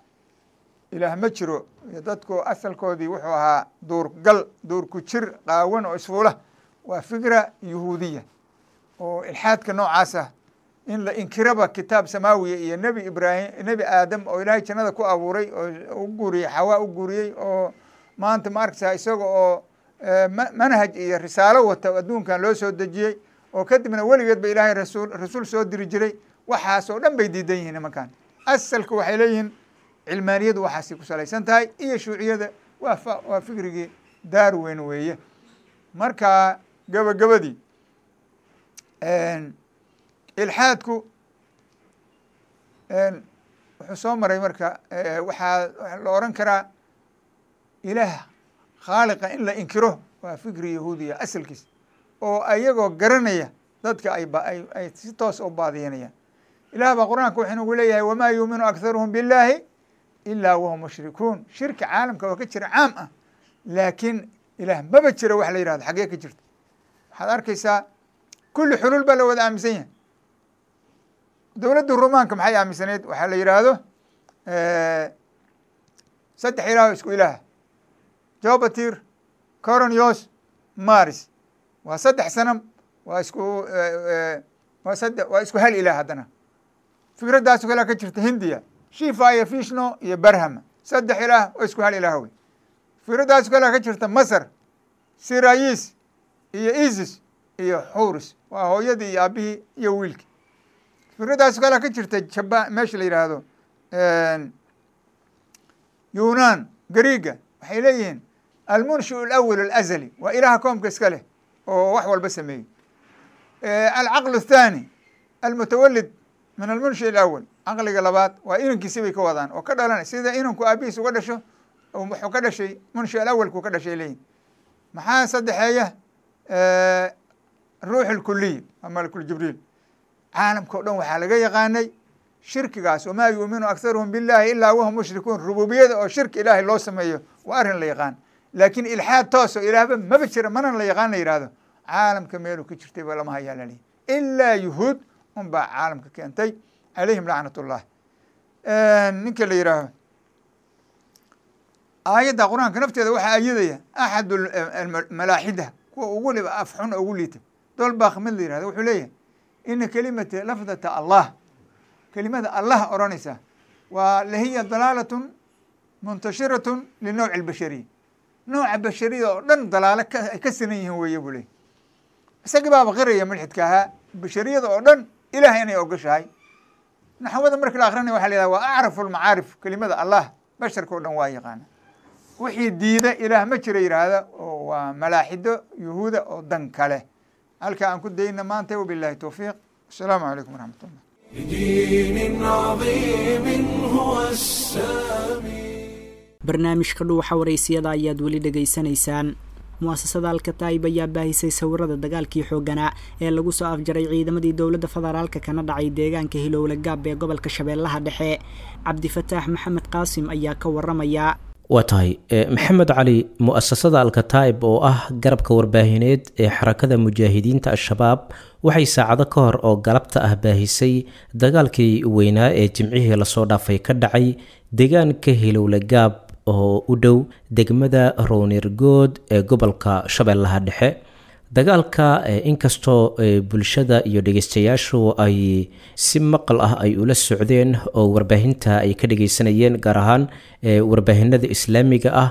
ilaah ma jiro iyo dadku asalkoodii wuxuu ahaa duurgal, duurku jir qaawan oo isfuula, waa fikra yuhuudiya oo ilxaadka noocaas ah, in la inkiraba kitaab samaawiya iyo Nebi Ibraahim, Nebi Aadam oo Ilaahay jannada ku abuuray oo u guuriyey Xawaa u guuriyey, oo maanta ma arkaysaa isaga oo manhaj iyo risaalo wata adduunkan loo soo dejiyey, oo kadibna weligeed ba Ilaahay rasuul soo diri jiray. Waxaas oo dhan bay diidan yihiin nimankan. Asalka waxay leeyihiin cilmaaniyadu waxaasay ku salaysan tahay iyo shuuciyada, waa fikrigii Darwin weeye. Marka gabagabadii, ilxaadku wuxuu soo maray marka waxaa la oran karaa ilaah khaaliqa in la inkiro waa fikri yahuudiya asalkiis, oo ayagoo garanaya dadka ay si toos u baadiyanayaan. Ilaah baa Qur-aanka wuxuu inagu leeyahay: wamaa yuuminu akharuhum billahi ilaa wahum mushrikuun. Shirki caalamka waa ka jira caam ah, laakiin ilaah maba jiro wax la yihahdo xaggee ka jirta? Waxaad arkaysaa kulli xuluul baa la wada aaminsan yahay. Dowladda Rumaanka maxay aaminsaneyd? Waxaa la yidhaahdo saddex ilaah oo isku ilaah: Jobatir, Coronios, Maris. Waa saddex sanam, waa isku waa sadde, waa isku hal ilaah. Haddana fikraddaas oo kalea ka jirta Hindiya: Shifa iyo Fishno iyo Barhama, saddex ilaah oo isku hal ilaah wey. Fikraddaas oo kalea ka jirta Masar: Sirayis iyo Isis iyo Xuris, waa hooyadii iyo aabihii iyo wiilkii. Fikraddaas oo kalea ka jirta Jaba, meesha la yidhaahdo Yunan, Gariega, waxay leeyihiin almunshiu alawal alazali waa ilaaha koomka iska leh oo wax walba sameeyey, alcaql athani almutawalid min almunshi alawal, caqliga labaad waa inankiisi bay ka wadaan oo ka dhalanay, sida inanku aabihiis uga dhasho wuxuu ka dhashay munshi alawalku ka dhashay leeyihin. Maxaa saddexeeya? Ruux alkuliy waa malakul Jibriil. Caalamka o dhan waxaa laga yaqaanay shirkigaas, wamaa yuuminu akharuhum billahi ilaa wahum mushrikuun. Rububiyada oo shirki ilaahay loo sameeyo waa arrin la yaqaan, laakiin ilxaad tooso ilaahba maba jira mana la yaqaan la yihahdo caalamka meeluu ka jirtay ba lama hayaa lalihi, ilaa yuhuud un baa caalamka keentay, calayhim lacnat ullah. Ninka la yihaaho aayadda Qur-aanka nafteeda waxaa ayadaya axad malaaxida kuwa ugu liba af xun ugu liita, Dolbakh mid la yihahdo, wuxuu leeyahay ina kelimata lafdata Allah, kelimada Allah odhanaysa waa lahiya dalaalatun muntashiratun linowci albashariya, nooca bashariyada oo dhan dalaalo ay ka sinan yihiin weeye buu leeyay. Isagii baaba qiraya mulxidka ahaa bashariyada oo dhan ilaah inay ogoshahay. Naxwada marka la akrinaya waxa la yihahda waa acrafu lmacaarif, kelimada Allah basharka o dhan waa yaqaana. Wixii diida ilaah ma jira yidhaahda oo waa malaaxido yuhuuda oo dan kale. Halka aan ku dayna maanta, wabillahi towfiiq, asalaamu calaykum waraxmat ullah. لدين عظيم هو السامي. Barnaamijka Dhuuxa Waraysiyada ayaad weli dhegaysanaysaan. Mu'asasada Alkataib ayaa baahisay sawirada dagaalkii xoogganaa ee lagu soo afjaray ciidamadii dowladda federaalka kana dhacay deegaanka Hilowle Gaab ee gobolka Shabeellaha Dhexe. Cabdifataax Maxamed Qaasim ayaa ka waramaya. Waa tahay Maxamed Cali. Mu'asasada Alkataib oo ah garabka warbaahineed ee Xarakada Mujaahidiinta Al-Shabaab waxay saacado ka hor oo galabta ah baahisay dagaalkii weynaa ee jimcihii lasoo dhaafay ka dhacay deegaanka Hilowle Gaab oo u dhow degmada Rownirgood ee gobolka Shabeellaha Dhexe. Dagaalka inkastoo bulshada iyo dhegeystayaashu ay si maqal ah ay ula socdeen oo warbaahinta ay ka dhegeysanayeen, gaar ahaan warbaahinada islaamiga ah,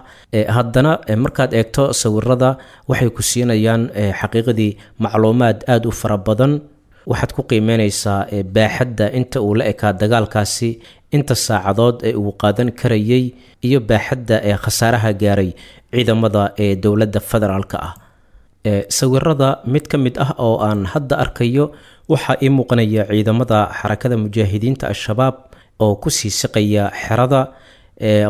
haddana markaad eegto sawirada waxay ku siinayaan xaqiiqadii macluumaad aada u fara badan. Waxaad ku qiimeyneysaa baaxadda inta uu la ekaa dagaalkaasi, inta saacadood ee uu qaadan karayay, iyo baaxadda ee khasaaraha gaaray ciidamada ee dowladda federaalka ah. Sawirada mid ka mid ah oo aan hadda arkayo waxaa ii muuqanaya ciidamada Xarakada Mujaahidiinta Al-Shabaab oo kusii siqaya xerada.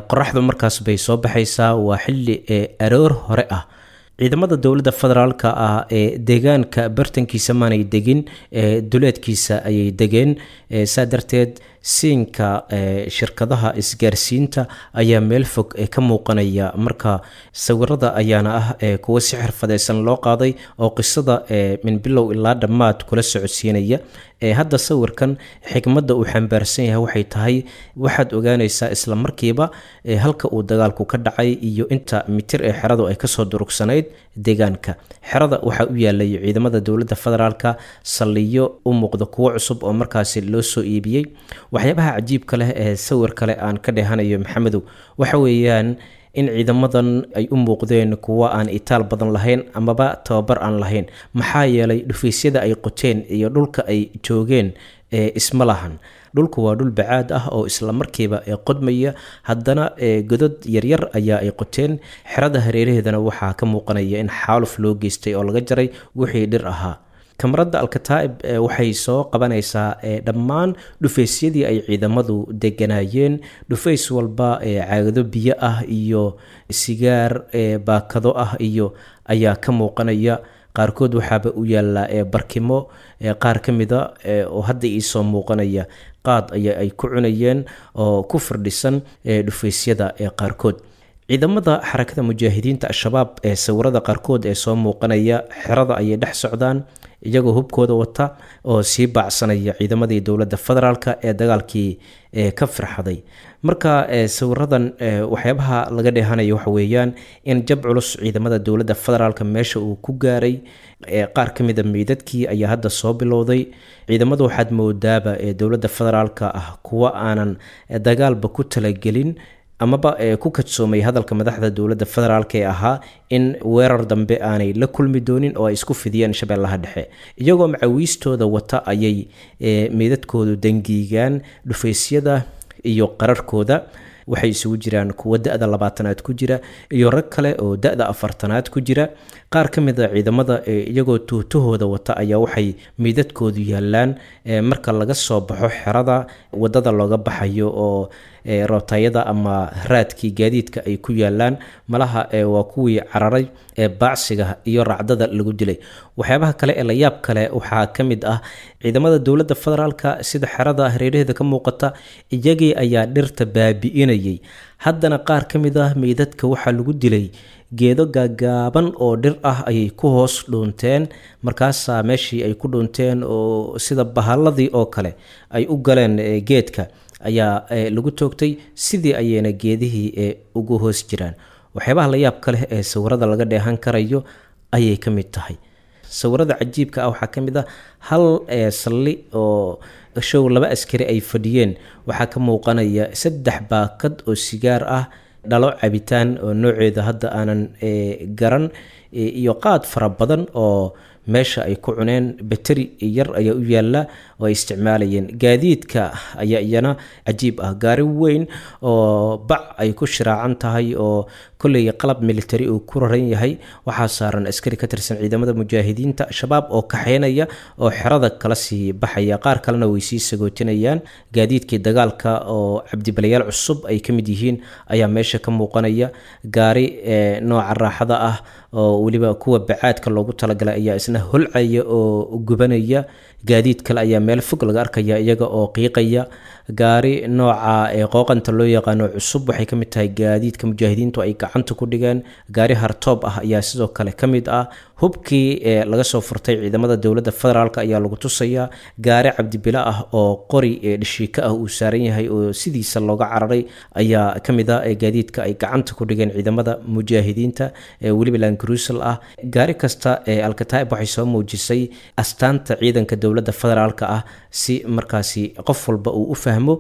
Qoraxdu markaas bay soo baxaysaa, waa xilli aroor hore ah. Ciidamada dowladda federaalka ah ee deegaanka bartankiisa maanay degin, duleedkiisa ayay degeen. Saa darteed siinka shirkadaha isgaarsiinta ayaa meel fog ka muuqanaya. Marka sawirada ayaana ah kuwo si xirfadeysan loo qaaday oo qisada min bilow ilaa dhammaad kula socodsiinaya. Hadda sawirkan xikmadda uu xambaarsan yahay waxay tahay, waxaad ogaanaysaa isla markiiba halka uu dagaalku ka dhacay iyo inta mitir ee xeradu ay kasoo durugsanayd deegaanka. Xerada waxaa u yaalay ciidamada dowladda federaalka saldhigyo u muuqda kuwo cusub oo markaasi loo soo iibiyey. Waxyaabaha cajiibka leh ee sawir kale aan ka dhehanayo, Maxamedow, waxa weeyaan in ciidamadan ay u muuqdeen kuwo aan itaal badan lahayn amaba tababar aan lahayn, maxaa yeelay dhufaysyada ay qoteen iyo dhulka ay joogeen ee isma lahan. Dhulku waa dhul bacaad ah oo isla markiiba qodmaya, haddana godad yaryar ayaa ay qoteen. Xerada hareeraheedana waxaa ka muuqanaya in xaaluf loo geystay oo laga jaray wixii dhir ahaa. Kamarada Alkataa'ib waxay soo qabanaysaa dhammaan dhufaysyadii ay ciidamadu deganaayeen. Dhufays walba caagado biyo ah iyo sigaar baakado ah iyo ayaa ka muuqanaya. Qaarkood waxaaba u yaallaa barkimo, qaar ka mida oo hadda iisoo muuqanaya qaad ayaa ay ku cunayeen oo ku firdhisan dhufaysyada qaarkood. Ciidamada Xarakada Mujaahidiinta Al-Shabaab ee sawirada qaarkood ee soo muuqanaya xerada ayay dhex socdaan iyagoo hubkooda wata oo sii baacsanaya ciidamadii dowladda federaalka ee dagaalkii ka firxaday. Marka sawiradan waxyaabaha laga dheehanayo waxa weeyaan in jab culus ciidamada dowladda federaalka meesha uu ku gaaray. Qaar ka mida meydadkii ayaa hadda soo bilowday. Ciidamadu waxaad moodaaba ee dowladda federaalka ah kuwa aanan dagaalba ku talagelin amaba ku kadsoomay hadalka madaxda dowladda federaalk ee ahaa in weerar dambe aanay la kulmi doonin oo ay isku fidiyeen Shabeellaha Dhexe. Iyagoo macawiistooda wata ayay meydadkoodu dangiigaan dhufaysyada iyo qararkooda. Waxay isugu jiraan kuwo da-da 20aad ku jira iyo rag kale oo da-da 40aad ku jira. Qaar ka mid a ciidamada iyagoo tuutahooda wata ayaa waxay meydadkoodu yaalaan marka laga soo baxo xerada wadada looga baxayo oo rootayada ama raadkii gaadiidka ay ku yaalaan. Malaha waa kuwii cararay ee baacsiga iyo racdada lagu dilay. Waxyaabaha kale ee layaab kale waxaa ka mid ah ciidamada dowladda federaalka, sida xerada hareeraheeda ka muuqata, iyagii ayaa dhirta baabi'inayay. Haddana qaar ka mid ah meydadka waxaa lagu dilay geedo gaagaaban oo dhir ah ayay ku hoos dhuunteen. Markaasaa meeshii ay ku dhuunteen oo sida bahalladii oo kale ay u galeen geedka ayaa lagu toogtay, sidii ayayna geedihii ugu hoos jiraan. Waxyaabaha la yaabka leh ee sawirada laga dheehan karayo ayay ka mid tahay. Sawirada cajiibka ah waxaa ka mid ah hal salli oo show laba askari ay fadhiyeen, waxaa ka muuqanaya 3 baakad oo sigaar ah, dhalo cabitaan oo nooceeda hadda aanan garan, iyo qaad fara badan oo meesha ay ku cuneen. Bateri yar ayaa u yaala oo ay isticmaalayeen. Gaadiidka ayaa iyana cajiib ah, gaari weyn oo bac ay ku shiraacan tahay oo kolley qalab military uu ku raran yahay, waxaa saaran askari ka tirsan ciidamada Mujaahidiinta Shabaab oo kaxeynaya oo xerada kala sii baxaya, qaar kalena way sii sagootinayaan. Gaadiidkii dagaalka oo cabdibalayaal cusub ay ka mid yihiin ayaa meesha ka muuqanaya. Gaari nooca raaxada ah oo weliba kuwa bacaadka loogu talagalay ayaa isna holcaya oo gubanaya. Gaadiid kale ayaa meel fog laga arkaya iyaga oo qiiqaya. Gaari nooca qooqanta loo yaqaano cusub waxay ka mid tahay gaadiidka mujaahidiintu ay gacanta ku dhigeen. Gaari hartoob ah ayaa sidoo kale ka mid ah. Hubkii laga soo furtay ciidamada dowladda federaalk ayaa lagu tusayaa. Gaari cabdibilo ah oo qori dhashiika ah uu saaran yahay oo sidiisa looga cararay ayaa ka mid ah gaadiidka ay gacanta ku dhigeen ciidamada mujaahidiinta, weliba landcruisal ah. Gaari kasta ee Alkataa'ib waxay soo muujisay astaanta ciidanka dowladda federaalk ah si markaasi qof walba uu u fahmo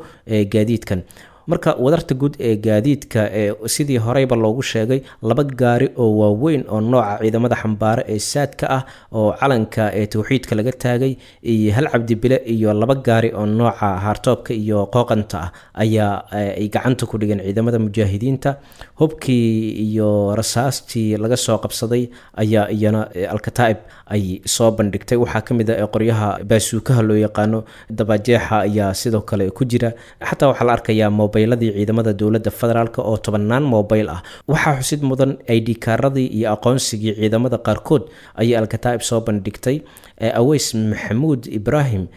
gaadiidkan. Marka wadarta guud ee gaadiidka ee sidii horeyba loogu sheegay, 2 gaari oo waaweyn oo nooca ciidamada xambaare ee saadka ah oo calanka ee towxiidka laga taagay, iyo 1 cabdibile iyo 2 gaari oo nooca haartoobka iyo qooqanta ah ayaa ay gacanta ku dhigeen ciidamada mujaahidiinta. Hubkii iyo rasaastii laga soo qabsaday ayaa iyana Alkataa'ib ay soo bandhigtay. Waxaa ka mid ah qoryaha baasuukaha loo yaqaano, dabajeexa ayaa sidoo kale ku jira. Xataa waxaa la arkayaa mobayladii ciidamada dowladda federaalk oo 10-naan mobayl ah. Waxaa xusid mudan ID kaaradii iyo aqoonsigii ciidamada qaarkood ayay Alkataa'ib soo bandhigtay. Aweys Maxamuud Ibraahim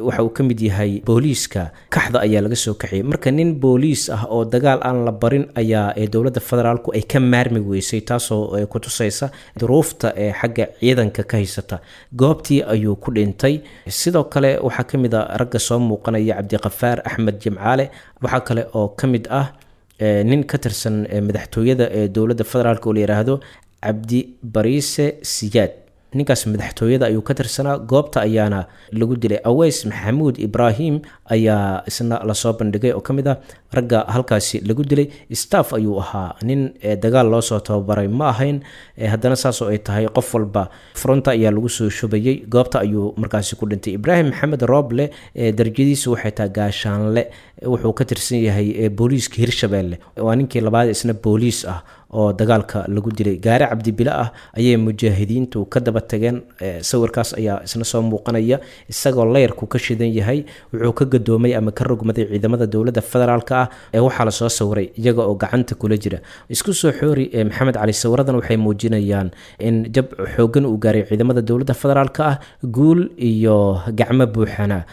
waxa uu ka mid yahay booliiska Kaxda ayaa laga soo kaxiyey. Marka nin booliis ah oo dagaal aan la barin ayaa dowladda federaalku ay ka maarmi weysay, taasoo ku tusaysa duruufta ee xagga ciidanka ka haysata. Goobtii ayuu ku dhintay. Sidoo kale waxaa ka mid a ragga soo muuqanaya Cabdiqafaar Axmed Jimcaale. Waxaa kale oo ka mid ah nin ka tirsan madaxtooyada ee dowladda federaalk oo la yiraahdo Cabdi Bariise Siyaad. Ninkaas madaxtooyada ayuu ka tirsanaa, goobta ayaana lagu dilay. Aweys Maxamuud Ibraahim ayaa isna lasoo bandhigay oo ka mid ah ragga halkaasi lagu dilay. Staff ayuu ahaa, nin dagaal loo soo tababaray ma ahayn, haddana saasoo ay tahay qof walba fronta ayaa lagu soo shubayay, goobta ayuu markaasi ku dhintay. Ibraahim Maxamed Rooble, darajadiisu waxay tahay gaashaanle, wuxuu ka tirsan yahay booliiska Hirshabeelle. Waa ninkii labaad isna booliis ah oo dagaalka lagu dilay. Gaari cabdibile ah ayay mujaahidiintu ka daba tageen. Sawirkaas ayaa isna soo muuqanaya isagoo leyrku ka shidan yahay. Wuxuu ka gadoomay ama ka rogmaday ciidamada dowladda federaalk ah ee waxaa lasoo sawiray iyaga oo gacanta kula jira. Isku soo xoori, Maxamed Cali, sawiradan waxay muujinayaan in jab xoogan uu gaaray ciidamada dowladda federaalk ah, guul iyo gacmo buuxana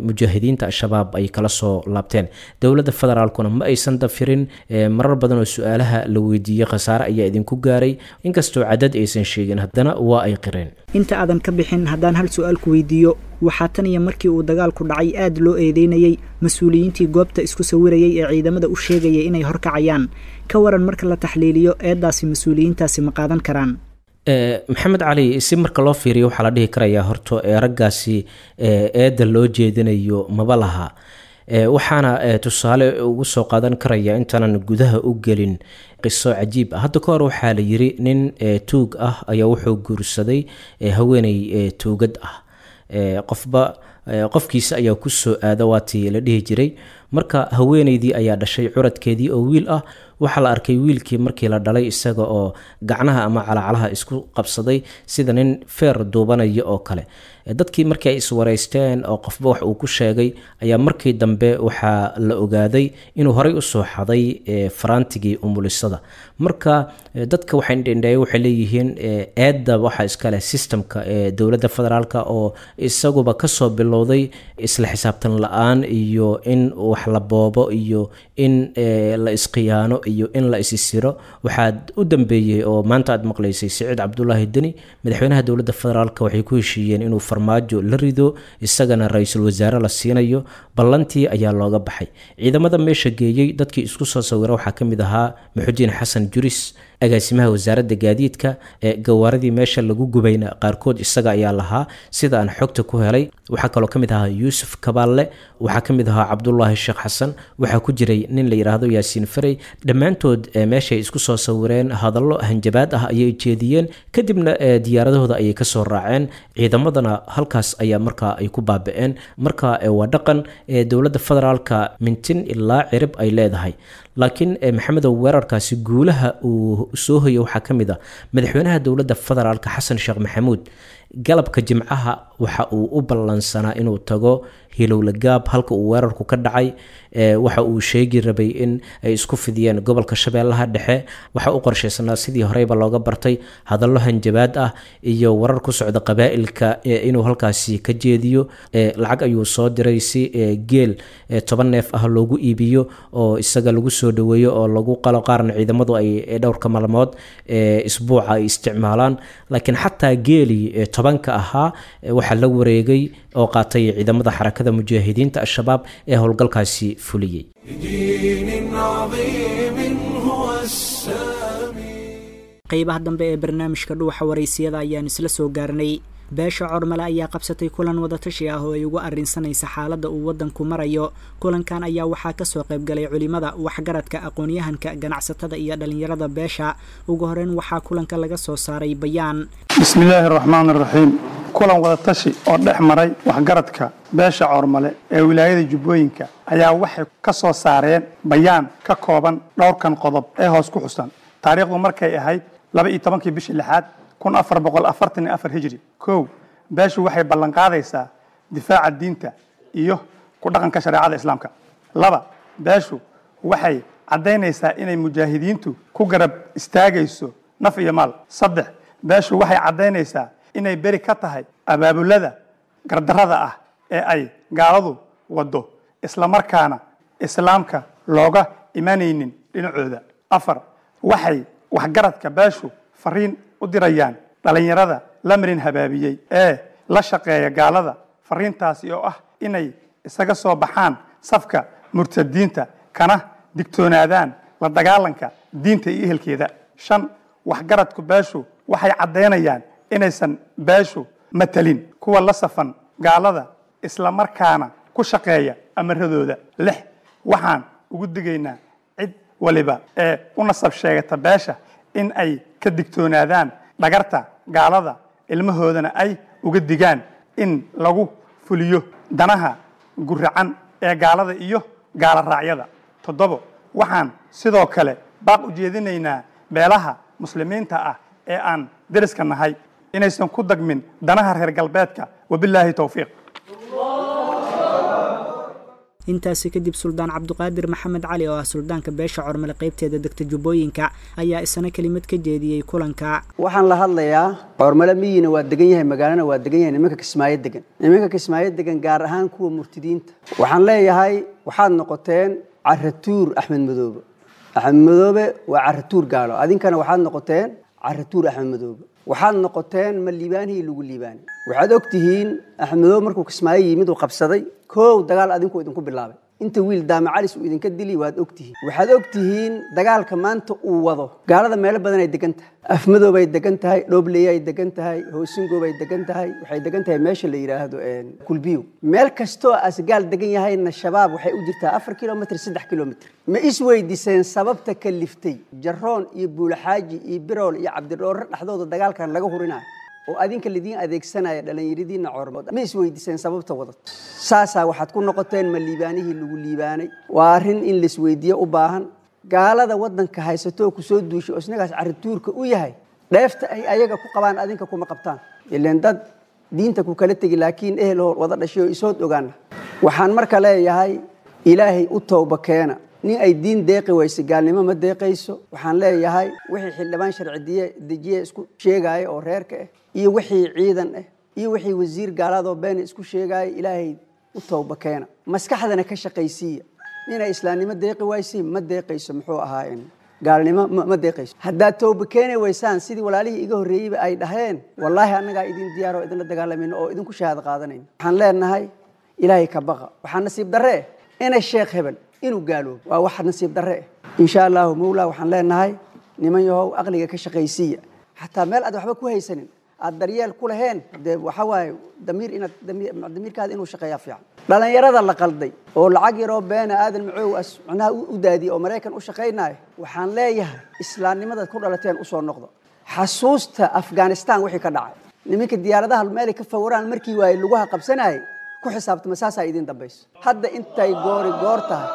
mujaahidiinta Al-Shabaab ay kala soo laabteen. Dowladda federaalkuna ma aysan dafirin marar badan oo su-aalaha la weydiiyey khasaare ayaa idinku gaaray, inkastoo cadad aysan sheegin haddana waa ay qireen. Inta aadan ka bixin, haddaan hal su-aal ku weydiiyo, waxaa tan iyo markii uu dagaalku dhacay aad loo eedeynayey mas-uuliyiintii goobta isku sawirayay ee ciidamada u sheegayay inay horkacayaan. Ka waran marka la taxliiliyo eeddaasi, mas-uuliyiintaasi ma qaadan karaan? Maxamed Cali, si marka loo fiiriyo waxaa la dhihi karayaa horto ee raggaasi eedda loo jeedinayo maba laha. Waxaana tusaale ugu soo qaadan karaya, intaanan gudaha u gelin, qiso cajiib ah. Hadda ka hor waxaa la yiri nin tuug ah ayaa wuxuu guursaday haweeney tuugad ah. Qofba qofkiisa ayaa ku soo aada, waatii la dhihi jiray. Marka haweeneydii ayaa dhashay curadkeedii oo wiil ah. Waxaa la arkay wiilkii markii la dhalay isaga oo gacnaha ama calacalaha isku qabsaday sida nin feer duubanaya oo kale. Dadkii markii ay iswareysteen oo qofba wax uu ku sheegay ayaa markii dambe waxaa la ogaaday inuu horey usoo xaday faraantigii umulisada. Marka dadka waxay indhendheeye waxay leeyihiin eedda waxaa iskale systemka ee dowladda federaalk oo isaguba kasoo bilowday isla xisaabtan la-aan iyo in wax la boobo iyo in la isqiyaano iyo in la isisiro. Waxaad u dambeeyey oo maanta aad maqlaysay Siciid Cabdulaahi Deni, madaxweynaha dowladda federaalk, waxay ku heshiiyeen inuu Farmaajo la rido, isagana ra-iisul wasaare la siinayo. Ballantii ayaa looga baxay. Ciidamada meesha geeyey dadkii isku soo sawira waxaa ka mid ahaa Muxudiin Xasan Juris, agaasimaha wasaaradda gaadiidka. Ee gawaaradii meesha lagu gubayna qaarkood isaga ayaa lahaa sida aan xogta ku helay. Waxaa kaloo ka mid ahaa Yuusuf Kabaalle, waxaa ka mid ahaa Cabdulaahi Sheekh Xasan, waxaa ku jiray nin la yidhaahdo Yaasiin Farey. Dhammaantood meeshay isku soo sawireen, hadallo hanjabaad ah ayay jeediyeen, kadibna diyaaradahooda ayay kasoo raaceen, ciidamadana halkaas ayaa markaa ay ku baaba'een. Marka waa dhaqan dowladda federaalka mintin ilaa cirib ay leedahay. Laakiin Maxamedow, weerarkaasi guulaha uu soo hoyay waxaa ka mid a madaxweynaha dowladda federaalka Xasan Sheekh Maxamuud galabka Jimcaha waxa uu u ballansanaa inuu tago Hilowlagaab, halka uu weerarku ka dhacay. Waxa uu sheegi rabay in ay isku fidiyeen gobolka Shabeellaha Dhexe. Waxa u qorshaysanaa sidii horeyba looga bartay hadallo hanjabaad ah iyo warar ku socda qabaa'ilka inuu halkaasi ka jeediyo. Lacag ayuu soo diray si geel 10 neef ah loogu iibiyo oo isaga lagu soo dhaweeyo oo lagu qalo, qaarna ciidamadu ay dhowrka maalmood isbuuca ay isticmaalaan. Laakiin xataa geelii 10-ka ahaa waxaa la wareegay oo qaatay ciidamada Xarakada Mujaahidiinta Al-Shabaab ee howlgalkaasi fuliyey. لدين عظيم هو السامي. Qaybaha dambe ee barnaamijka Dhuuxa Waraysiyada ayaan isla soo gaarnay. Beesha Cormale ayaa qabsatay kulan wadatashi ah oo ay ugu arrinsanaysa xaaladda uu waddanku marayo. Kulankan ayaa waxaa kasoo qaybgalay culimada, waxgaradka, aqoon-yahanka, ganacsatada iyo dhalinyarada beesha. Ugu horeyn waxaa kulanka laga soo saaray bayaan. Bismillaahi raxmaan raxiim. Kulan wadatashi oo dhex maray waxgaradka beesha Coormale ee wilaayada Jubbooyinka ayaa waxay ka soo saareen bayaan ka kooban dhowrkan qodob ee hoos ku xusan. Taariikhdu markay ahayd 12-kii bishii lixaad 1444 hijri. 1, beeshu waxay ballanqaadaysaa difaaca diinta iyo ku dhaqanka shareecada Islaamka. 2, beeshu waxay caddaynaysaa inay mujaahidiintu ku garab istaagayso naf iyo maal. 3, beeshu waxay caddaynaysaa inay beri ka tahay abaabulada gardarrada ah ee ay gaaladu waddo, islamarkaana Islaamka looga imanaynin dhinacooda. 4, waxay waxgaradka beeshu fariin u dirayaan dhalinyarada la marin habaabiyey ee la shaqeeya gaalada, fariintaasi oo ah inay isaga soo baxaan safka murtadiinta kana digtoonaadaan la dagaalanka diinta iyo ehelkeeda. 5, waxgaradku beeshu waxay caddaynayaan inaysan beeshu matalin kuwa la safan gaalada, islamarkaana ku shaqeeya amaradooda. 6, waxaan ugu digaynaa cid waliba ee u nasab sheegata beesha in ay ka digtoonaadaan dhagarta gaalada, ilmahoodana ay uga digaan in lagu fuliyo danaha guracan ee gaalada iyo gaala raacyada. 7, waxaan sidoo kale baaq u jeedinaynaa beelaha muslimiinta ah ee aan deriska nahay inaysan ku dagmin danaha reer galbeedka. Wabilaahi towfiiq. Intaasi kadib Suldaan Cabduqaadir Maxamed Cali oo ah suldaanka beesha Cormale qaybteeda degta Jubbooyinka ayaa isna kelimad ka jeediyey kulanka. Waxaan la hadlayaa Cormale miyina waa degan yahay, magaalana waa degan yahay, nimanka Kismaayo degan, nimanka Kismaayo degan gaar ahaan kuwa murtidiinta. Waxaan leeyahay waxaad noqoteen caratuur Axmed Madoobe. Axmed Madoobe waa caratuur gaalo, adinkana waxaad noqoteen caratuur Axmed Madoobe. Waxaad noqoteen ma liibaanihii lagu liibaanay. Waxaad og tihiin Axmed Madoobe markuu Kismaayo yimid uu qabsaday koow dagaal adinku idinku bilaabay, inta wiil Daama Calis uu idinka dili waad og tihiin. Waxaad og tihiin dagaalka maanta uu wado gaalada meelo badan ay degan tahay, Afmadoob ay degan tahay, Dhoobley ay degan tahay, Hoosingoob ay degan tahay, waxay degan tahay meesha la yidhaahdo Kulbiyo. Meel kastoo asgaal degan yahayna Shabaab waxay u jirtaa 4 kilomitr, 3 kilomitr. Ma isweydiiseen sababta kaliftay Jaroon iyo Buulaxaaji iyo Birool iyo Cabdidhoore dhexdooda dagaalkan laga hurinayo oo adinka lidiin adeegsanaya dhalinyaradiina Coormood? Ma isweydiiseen sababta wadato? Saasaa waxaad ku noqoteen ma liibaanihii lagu liibaanay. Waa arrin in laisweydiiyo u baahan. Gaalada waddanka haysato oo kusoo duushay oo isnagaas carrituurka u yahay, dheefta ay ayaga ku qabaan adinka kuma qabtaan. Ileen dad diinta ku kala tegi laakiin ehel hor wada dhashay oo isood ogaana. Waxaan marka leeyahay Ilaahay u towba keena. Nin ay diin deeqi weyse gaalnimo ma deeqayso. Waxaan leeyahay wixii xildhibaan sharci dejiye isku sheegaya oo reerka ah, iyo wixii ciidan ah, iyo wixii wasiir gaaladoo been isku sheegaya, Ilaahay u towba keena. Maskaxdana ka shaqaysiiya. Ninay islaamnimo deeqi wayse ma deeqayso, muxuu ahaa in gaalnimo ma deeqayso. Haddaad towba keeni waysaan sidii walaalihii iga horreeyeyba ay dhaheen, wallaahi annagaa idin diyaar oo idinla dagaalamayno oo idinku shahaado qaadanayno. Waxaan leenahay Ilaahay ka baqa. Waxaa nasiib darre eh inay Sheekh Hebel inuu gaaloobo, waa wax nasiib darre eh. Insha Allahu mawlaa waxaan leenahay niman yahow aqliga ka shaqaysiiya. Xataa meel aad waxba ku haysanin, aad daryeel ku laheen, dee waxa waaye damiir inaad damiirkaada inuu shaqeeyaa fiican. Dhalinyarada la qalday oo lacag yaroo beena Aadan Macow as macnaha u daadiyey oo Maraykan u shaqaynaayo, waxaan leeyahay islaamnimadaad ku dhalateen usoo noqdo. Xasuusta Afghanistan wixii ka dhacay, nimanka diyaaradaha meelay ka fawraan markii waaye lugaha qabsanayay ku xisaabtama, saasaa idin dambayso. Hadda intay goori goor tahay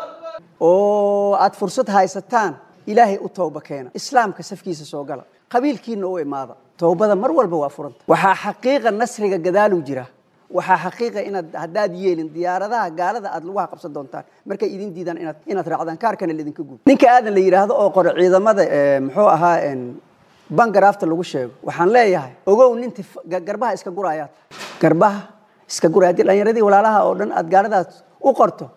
oo aad fursad haysataan, Ilaahay u towba keena, Islaamka safkiisa soo gala, qabiilkiina u imaada. Towbada mar walba waa furanta. Waxaa xaqiiqa nasriga gadaaluu jira. Waxaa xaqiiqa inaad haddaad yeelin diyaaradaha gaalada aad lugaha qabsan doontaan markay idin diidaan inaad raacdaan, kaarkana laidinka guub. Ninka Aadan la yidhaahdo oo qoro ciidamada muxuu ahaa bangaraafta lagu sheego, waxaan leeyahay ogow ninta garbaha iska gurayaa, garbaha iska guraya. Haddii dhalinyaradii walaalaha oo dhan aad gaaladaas u qorto,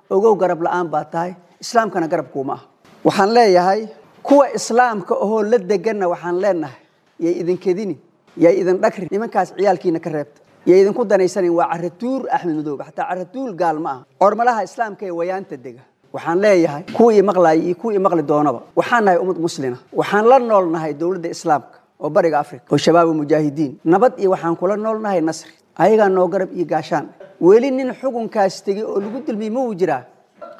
ogow garab la'aan baa tahay, Islaamkana garab kuuma ah. Waxaan leeyahay kuwa Islaamka ahoo la deganna waxaan leenahay yay idinkedini, yay idin dhagri, nimankaas ciyaalkiina ka reebta, yay idinku danaysanin. Waa caratuur Axmed Madoobe, xataa caratuur gaal ma aha. Cormalaha Islaamka ee wayaanta dega waxaan leeyahay kuwii maqlaaya iyo kuwii maqli doonaba, waxaan nahay ummad muslina, waxaan la nool nahay dowladda Islaamka. Oo bariga Afrika oo shabaab mujaahidiin nabad iyo waxaan kula noolnahay nasri ayagaa noo garab iyo gaashaan. Weli nin xukunkaas tegey oo lagu dulmiyey ma uu jiraa?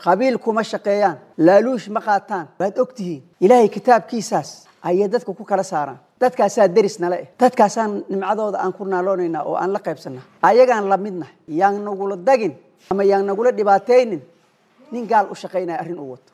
Qabiil kuma shaqeeyaan, laaluush ma qaataan, waad ogtihiin. Ilaahay kitaabkiisaas ayay dadka ku kala saaraan. Dadkaasaa deris nale eh, dadkaasaan nimcadooda aan ku naaloonaynaa oo aan la qaybsanaa, ayagaan la midnahay. Yaan nagula dagin ama yaan nagula dhibaataynin nin gaal u shaqaynaya arrin uu wato.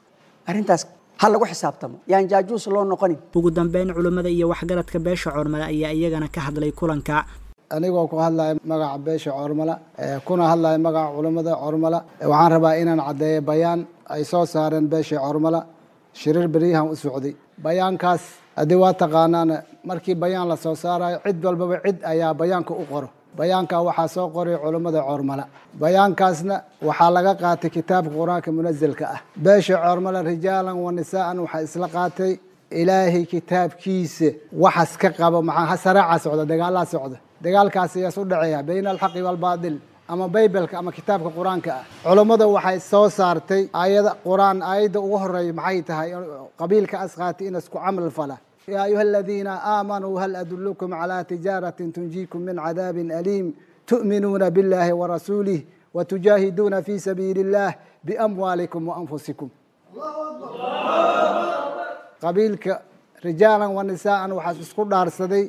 Arrintaas ha lagu xisaabtamo, yaan jaajuus loo noqonin. Ugu dambeyn, culimmada iyo waxgaradka beesha Coormale ayaa iyagana ka hadlay kulanka. Anigoo ku hadlaya magaca beesha Coormala, kuna hadlaya magaca culammada Coormala, waxaan rabaa inaan caddeeyo bayaan ay soo saareen beesha Coormala shirir beryahan u socday. Bayaankaas haddii waa taqaanaan, markii bayaan la soo saarayo cid walbaba cid ayaa bayaanka u qoro. Bayaanka waxaa soo qoray culammada Coormala. Bayaankaasna waxaa laga qaatay kitaabka Qur-aanka munasilka ah. Beesha Coormala rijaalan wa nisaa'an waxaa isla qaatay Ilaahay kitaabkiisa waxas ka qabo. Maxaa saraaca socda? Dagaalaa socda. Dagaalkaas ayaa isu dhaceeya bayna alxaqi waalbaatil, ama baybalka ama kitaabka Qur-aanka ah. Culammada waxay soo saartay aayada Qur-aan. Aayadda ugu horeeya maxay tahay? Qabiilka as qaatay in isku camal fala: yaa ayuha aladiina aamanuu hal adulukum calaa tijaaratin tunjiikum min cadaabin aliim tu'minuuna biاllahi warasuulih watujaahiduuna fi sabiili illah biamwaalikum waanfusikum. Qabiilka rijaalan wa nisaa'an waxaas isku dhaarsaday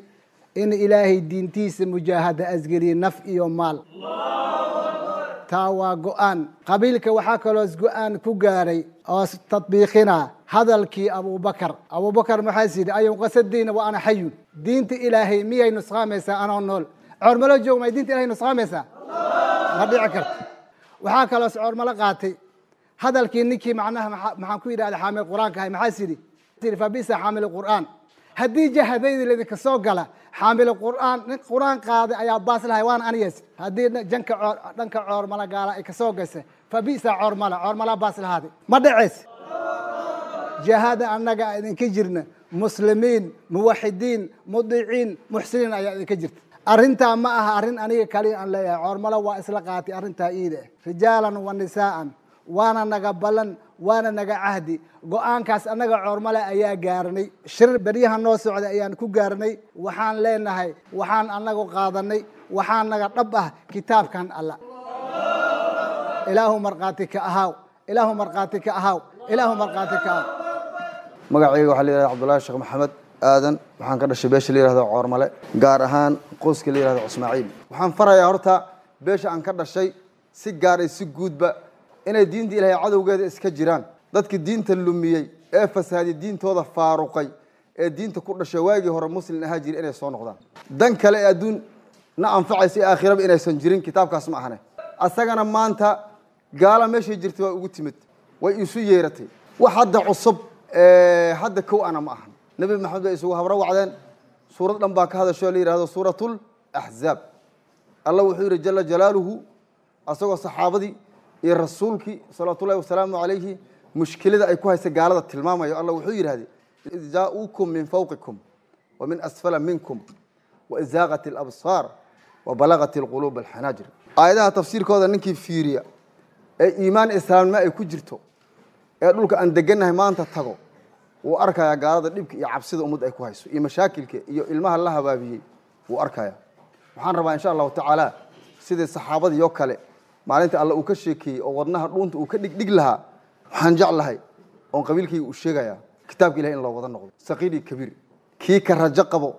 in Ilaahay diintiisa mujaahada asgeliye naf iyo maal. Taa waa go-aan qabiilka. Waxaa kaloos go-aan ku gaaray oo tadbiiqina hadalkii Abubakar. Abubakar maxaas yidhi? Ayunqasadiina wa ana xayun. Diinta Ilaahay miyay nusqaamaysaa anoo nool? Coormalo joog may diinta Ilahay nusqaamaysaa? Ma dhici karto. Waxaa kaloos Coormalo qaatay hadalkii ninkii macnaha maxaan ku yidhahda xaamil Qur-aanka ahay. Maxaas yidhi? Fabisa xaamil Qur'aan. Haddii jahadayda laydinka soo gala, xaamil Qur'aan nin Qur'aan qaaday ayaa baas lahay, waana aniyas. Haddii janka coor dhanka Coormala gaala ay kasoo gasay, fabisa Coormala, Coormala baas lahaaday. Ma dhaceys jahada annaga idinka jirna. Muslimiin, muwaxidiin, mudiciin, muxsiniin ayaa idinka jirta. Arrintaa ma aha arrin aniga kaliya aan leeyahay. Coormalo waa isla qaatay arrintaa iida, rijaalan wa nisaa'an. Waana naga ballan, waana naga cahdi. Go-aankaas annaga Coormale ayaa gaarnay, shir beryaha noo socda ayaan ku gaarnay. Waxaan leenahay, waxaan annagu qaadanay, waxaa naga dhab ah kitaabkan Alla. Ilaahu markhaati ka ahaaw, Ilaahu markhaati ka ahaaw, Ilaahu markhaati ka ahaaw. Magacayga waxaa la yihahda Cabdullahi Sheekh Maxamed Aadan. Waxaan ka dhashay beesha la yihahdo Coormale, gaar ahaan qoyska la yihahdo Cusmaaciil. Waxaan farayaa horta beesha aan ka dhashay si gaar iyo si guudba inay diinta Ilahay cadowgeeda iska jiraan. Dadka diinta lumiyey ee fasahaday, diintooda faaruqay, ee diinta ku dhashay, waagii hore muslim ahaa jiri, inay soo noqdaan. Dan kale ee adduun na anfacaysa iyo aakhiraba inaysan jirin kitaabkaas ma ahane. Asagana maanta gaala meeshay jirtay waa ugu timid, way isu yeeratay. Wax hadda cusub hadda kow ana ma ahan. Nebi Maxamed bay isugu habro wacdeen. Suurad dhan baa ka hadasho la yihahdo Suuratul Axzaab. Allah wuxuu yidhi jala jalaaluhu, asagoo saxaabadii iyo rasuulkii salawaatullahi wasalaamu calayhi mushkilada ay ku haysa gaalada tilmaamayo, Allah wuxuu yidhahday: id jaa'uukum min fawqikum wa min asfala minkum waizaaqat alabsaar wabalagat alquluub alxanaajir. Aayadaha tafsiirkooda ninkii fiiriya ee iimaan islaamnimo ay ku jirto ee dhulka aan degannahay maanta tago, wuu arkayaa gaalada dhibka iyo cabsida ummadda ay ku hayso iyo mashaakilka iyo ilmaha la habaabiyey wuu arkayaa. Waxaan rabaa insha Allahu tacaala sidii saxaabadii oo kale maalinta Alla uu ka sheekeeyey oo wadnaha dhuunta uu ka dhigdhig lahaa, waxaan jeclahay oon qabiilkayga uu sheegayaa kitaabka Ilahay in loo wada noqdo, saqiir iyo kabiir. Kii ka rajo qabo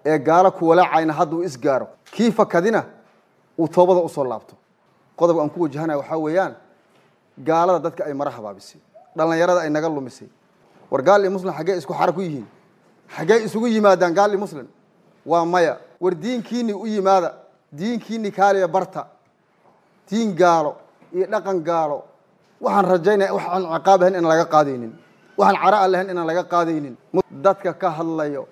ee gaalo ku walaacayna hadda uu isgaaro, kii fakadina uu toobada usoo laabto. Qodobka aan ku wajahanaya waxaa weeyaan gaalada dadka ay mara habaabisay, dhallinyarada ay naga lumisay. War gaal iyo muslim xaggee isku xara ku yihiin? Xaggee isugu yimaadaan gaal iyo muslim? Waa maya. War diinkiinni u yimaada, diinkiinni kaaliya barta. Diin gaalo iyo dhaqan gaalo waxaan rajaynaya waxaan ciqaab ahayn inaan laga qaadaynin, waxaan cara a lahayn inaan laga qaadaynin. Dadka ka hadlayo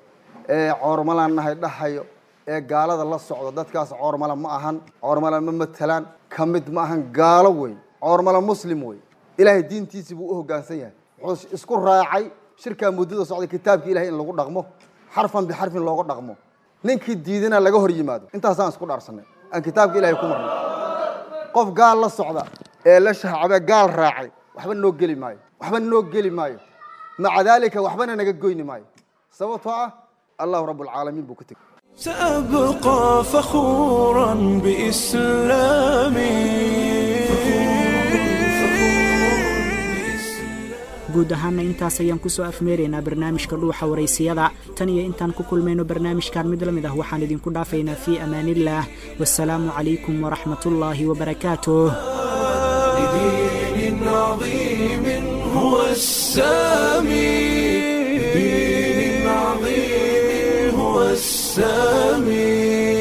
ee Coormalaan nahay dhahayo ee gaalada la socdo, dadkaas Coormala ma ahan, Coormala ma matalaan, ka mid ma ahan. Gaalo wey. Coormala muslim wey. Ilaahay diintiisii buu u hoggaansan yahay. Wuxuu isku raacay shirkaa muddada socday kitaabka Ilahay in lagu dhaqmo, xarfan bixarfin looga dhaqmo, ninkii diidana laga hor yimaado. Intaasaan isku dhaarsanay aan kitaabka Ilahay ku marnay. Qof gaal la socda ee la shahcabe gaal raacay waxba noo geli maayo, waxba noo geli maayo. Maca daalika waxbana naga goyni maayo, sababtoo ah Allahu rabbulcaalamiin buu ka tegey. سأبقى فخورا بإسلامي. Guud ahaana intaas ayaan kusoo afmeeraynaa barnaamijka Dhuuxa Waraysiyada. Tan iyo intaan ku kulmayno barnaamijkan mid la mid ah, waxaan idinku dhaafaynaa fii amaanillaah, wasalaamu calaykum waraxmatullaahi wabarakaatuh. لدين عظيم هو السامي، لدين عظيم هو السامي.